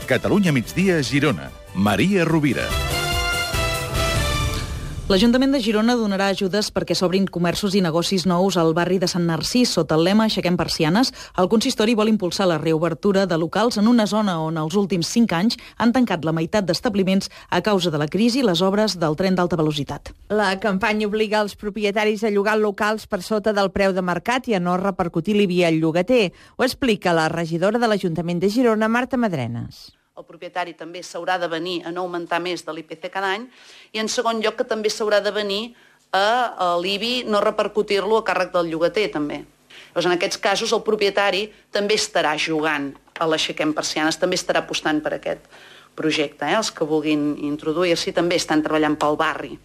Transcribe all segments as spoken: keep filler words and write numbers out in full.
Catalunya migdia, Girona. Maria Rovira. L'Ajuntament de Girona donarà ajudes perquè s'obrin comerços i negocis nous al barri de Sant Narcís. Sota el lema Aixequem persianes, el consistori vol impulsar la reobertura de locals en una zona on els últims cinc anys han tancat la meitat d'establiments a causa de la crisi i les obres del tren d'alta velocitat. La campanya obliga els propietaris a llogar locals per sota del preu de mercat i a no repercutir l'I B I al llogater. Ho explica la regidora de l'Ajuntament de Girona, Marta Madrenes. El propietari també s'haurà de venir a no augmentar més de l'I P C cada any i, en segon lloc, que també s'haurà de venir a l'I B I no repercutir-lo a càrrec del llogater, també. Llavors, en aquests casos, el propietari també estarà jugant a l'Aixequem persianes, també estarà apostant per aquest projecte. Eh? Els que vulguin introduir-s'hi també estan treballant pel barri.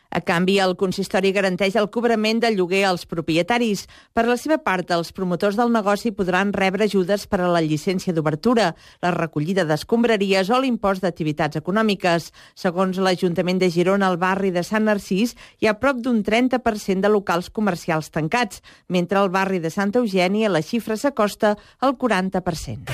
A canvi, el consistori garanteix el cobrament del lloguer als propietaris. Per la seva part, els promotors del negoci podran rebre ajudes per a la llicència d'obertura, la recollida d'escombraries o l'impost d'activitats econòmiques. Segons l'Ajuntament de Girona, al barri de Sant Narcís hi ha prop d'un trenta per cent de locals comercials tancats, mentre al barri de Santa Eugènia la xifra s'acosta al quaranta per cent.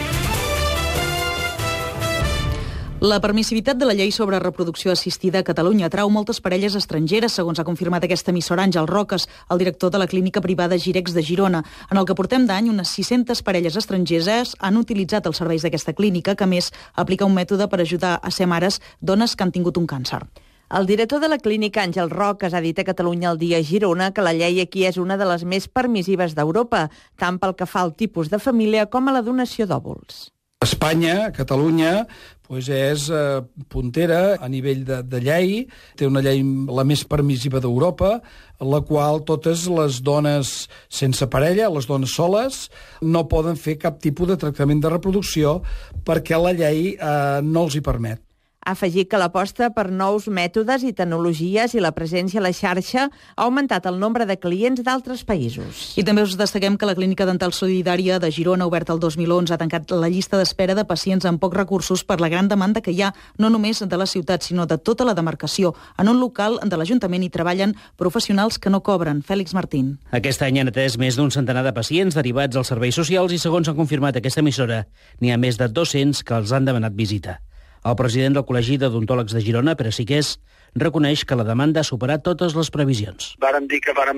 La permissivitat de la llei sobre reproducció assistida a Catalunya atrau moltes parelles estrangeres, segons ha confirmat aquesta emissora Àngel Roques, el director de la clínica privada Girex de Girona. En el que portem d'any, unes sis-centes parelles estrangeres han utilitzat els serveis d'aquesta clínica, que a més aplica un mètode per ajudar a ser mares dones que han tingut un càncer. El director de la clínica, Àngel Roques, ha dit a Catalunya al dia a Girona que la llei aquí és una de les més permissives d'Europa, tant pel que fa al tipus de família com a la donació d'òvuls. Espanya, Catalunya, pues és eh, puntera a nivell de, de llei, té una llei la més permissiva d'Europa, en la qual totes les dones sense parella, les dones soles, no poden fer cap tipus de tractament de reproducció perquè la llei eh, no els hi permet. Ha afegit que l'aposta per nous mètodes i tecnologies i la presència a la xarxa ha augmentat el nombre de clients d'altres països. I també us destaquem que la Clínica Dental Solidària de Girona, oberta el dos mil onze, ha tancat la llista d'espera de pacients amb pocs recursos per la gran demanda que hi ha, no només de la ciutat, sinó de tota la demarcació. En un local de l'Ajuntament hi treballen professionals que no cobren. Fèlix Martín. Aquest any han atès més d'un centenar de pacients derivats als serveis socials i, segons han confirmat aquesta emissora, n'hi ha més de dos-cents que els han demanat visita. El president del Col·legi d'Odontòlegs de Girona, Pere Siqués, reconeix que la demanda ha superat totes les previsions. Vàrem dir que vàrem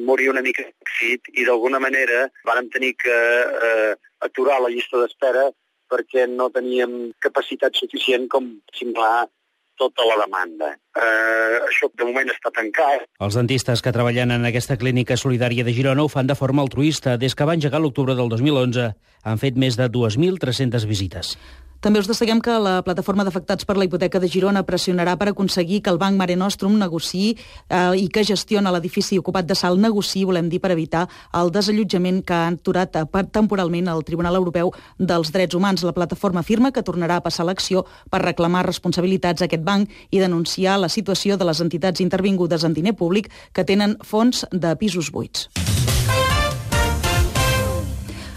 morir una mica d'èxit i d'alguna manera vàrem tenir que eh, aturar la llista d'espera perquè no teníem capacitat suficient com simular tota la demanda. Eh, això de moment està tancat. Els dentistes que treballen en aquesta clínica solidària de Girona ho fan de forma altruista. Des que va engegar l'octubre del dos mil onze han fet més de dues mil tres-centes visites. També us destaquem que la plataforma d'afectats per la hipoteca de Girona pressionarà per aconseguir que el Banc Mare Nostrum negociï eh, i que gestiona l'edifici ocupat de Salt negociï, volem dir, per evitar el desallotjament que ha aturat temporalment el Tribunal Europeu dels Drets Humans. La plataforma afirma que tornarà a passar l'acció per reclamar responsabilitats a aquest banc i denunciar la situació de les entitats intervingudes en diner públic que tenen fons de pisos buits.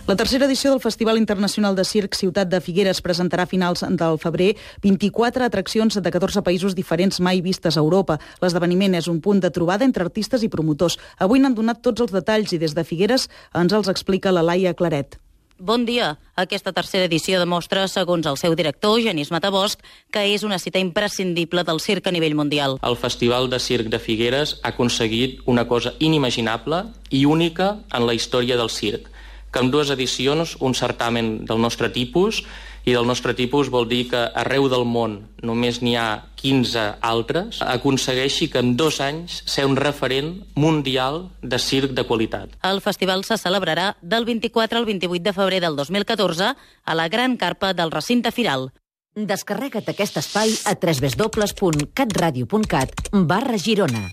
La tercera edició del Festival Internacional de Circ Ciutat de Figueres presentarà a finals del febrer vint-i-quatre atraccions de catorze països diferents mai vistes a Europa. L'esdeveniment és un punt de trobada entre artistes i promotors. Avui n'han donat tots els detalls i des de Figueres ens els explica la Laia Claret. Bon dia. Aquesta tercera edició demostra, segons el seu director, Genís Matabosc, que és una cita imprescindible del circ a nivell mundial. El Festival de Circ de Figueres ha aconseguit una cosa inimaginable i única en la història del circ, que en dues edicions un certamen del nostre tipus, i del nostre tipus vol dir que arreu del món només n'hi ha quinze altres, aconsegueixi que en dos anys ser un referent mundial de circ de qualitat. El festival se celebrarà del vint-i-quatre al vint-i-vuit de febrer del dos mil catorze a la Gran Carpa del recinte firal. Descarrega't aquest espai a w w w punt catradio punt cat barra Girona.